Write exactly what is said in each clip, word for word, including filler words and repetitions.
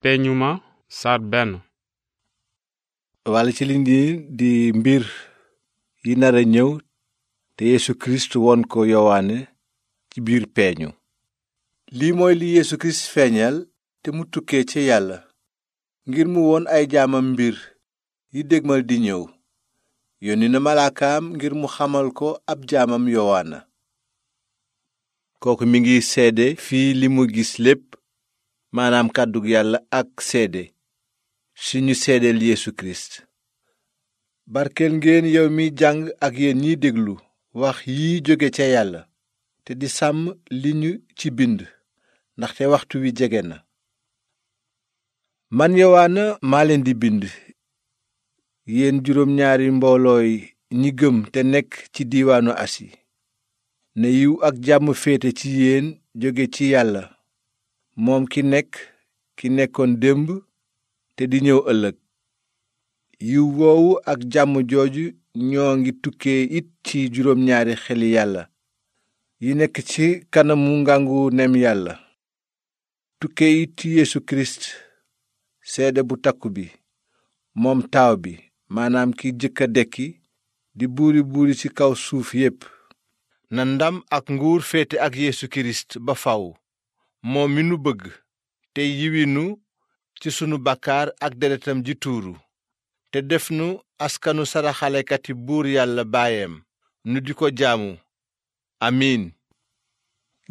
peeñu ma saar benn. walla ci li di di mbir yi nar a ñëw te Yeesu Kirist won ko Yowaane ci biir peeñu. lii mooy li Yeesu Kirist feeñal te mu tukkee ci Yàlla ngir mu won ay jaamam mbir yi dégmal di ñëw. yónni na malaakaam ngir mu xamal ko ab jaamam Yowaana. kooku mi ngi seede fii li mu gis lépp, maanaam kàddug Yàlla ak seede si ñu seedeel Yeesu Kirist. barkeel ngeen yow mi jàng ak yéen ñiy déglu wax yi jóge ca Yàlla te di sàmm li ñu ci bind, ndaxte waxtu wi jege na. man Yowaana maa leen di bind, yéen juróom ñaari mboolooy ñi gëm te nekk ci diiwaanu Asi. ne yiw ak jàmm féete ci yéen jóge ci Yàlla, moom ki nekk ki nekkoon démb te di ñëw ëllëg. yiw woowu ak jàmm jooju ñoo ngi tukkee it ci juróom ñaari xeli Yàlla yi nekk ci kanamu ngangu nem Yàlla. tukkee it ci Yeesu Kirist, seede bu takku bi, moom taaw bi, maanaam ki jëkk a dekki di buuri buuri ci kaw suuf yépp. na ndam ak nguur féete ak Yeesu Kirist ba faw, moom mi nu bëgg te yiwinu ci sunu bàkkaar ak deretam ji tuuru, te def nu askanu saraxalekati buur Yàlla baayam, nu di ko jaamu. amiin.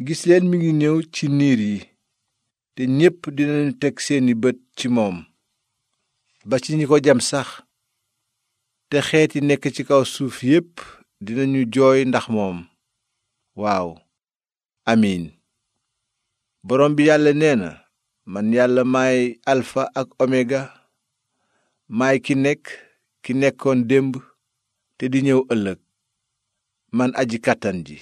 gis leen mi ngi ñëw ci niir yi, te ñépp dinañu teg seeni bët ci moom, ba ci ñi ko jam sax. te xeet yi nekk ci kaw suuf yépp dinañu jooy ndax moom. waaw amiin. borom bi Yàlla nee na, man Yàlla maay alfa ak omega, maay ki nekk ki nekkoon démb te di ñëw ëllëg, man aji kàttan ji.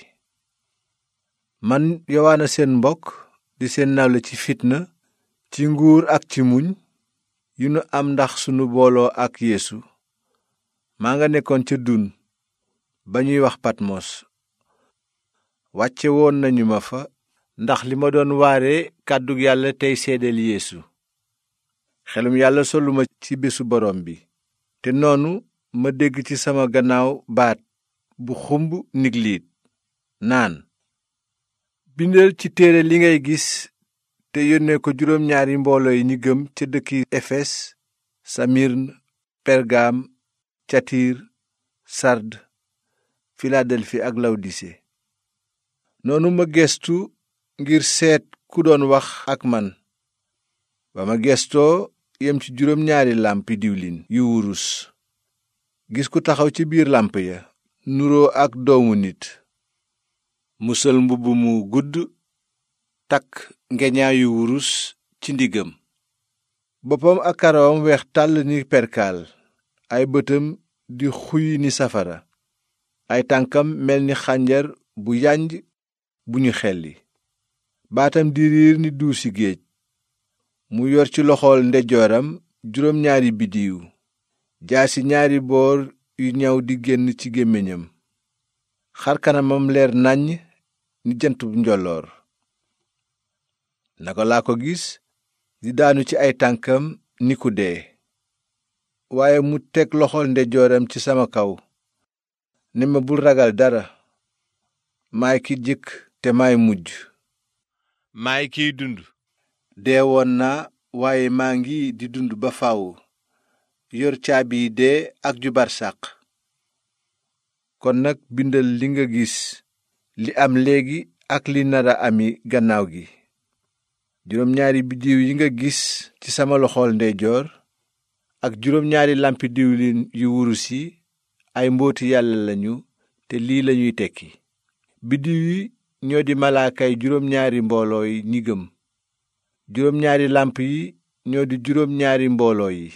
man Yowaana seen mbokk, di seen nawle ci fitna, ci nguur ak ci muñ yu nu am ndax sunu booloo ak Yeesu. maa nga nekkoon ca dun ba ñuy wax Patmos. wàcce woon nañu ma fa ndax li ma doon waare kàddug Yàlla tey seedeel Yeesu. xelum Yàlla soluma ci bésu borom bi, te noonu ma dégg ci sama gannaaw baat bu xumb nigliit naan, bindal ci téere li ngay gis te yónnee ko juróom ñaari mbooloo yi ñi gëm ca dëkki Efes, Samirn, Pergaam, Tiyatiir, Sard, Filadelfi ak Lawdise. noonu ma gestu ngir seet ku doon wax ak man. ba ma gestoo yem ci juróom ñaari làmpi diwlin yu wurus, gis ku taxaw ci biir làmp ya, nuroo ak doomu nit. mu sol mbubb mu gudd, takk ngeñaayu wurus ci ndiggam. boppam ak karawam weex tàll ni perkaal, ay bëtam di xuy ni safara, ay tànkam mel ni xànjar bu yanj bu ñu xelli, baatam di riir ni duusi géej. mu yor ci loxool ndeyjooram juróom ñaari biddiw, jaasi ñaari boor yu ñaw di génn ci gémmiñam. xar kanamam leer nàññ ni jant bu njolloor. naka laa ko gis di daanu ci ay tànkam ni ku dee. waaye mu teg loxool ndeyjooram ci sama kaw, ne ma, bul ragal dara. maay ki jëkk te maay mujj. maay kiy dund. deewoon naa, waaye maa ngi di dund ba faw, yor caabi dee ak ju barsàq. kon nag bindal li nga gis, li am léegi ak li nara ami gannaaw gi. juróom ñaari biddiw yi nga gis ci sama loxool ndeyjoor ak juróom ñaari làmpi diwlin yu wurus yi, ay mbooti Yàlla lañu, te lii lañuy tekki. biddiw yi ñoo di malaakay juróom ñaari mbooloo yi ñi gëm. juróom ñaari làmp yi ñoo di juróom ñaari mbooloo yi.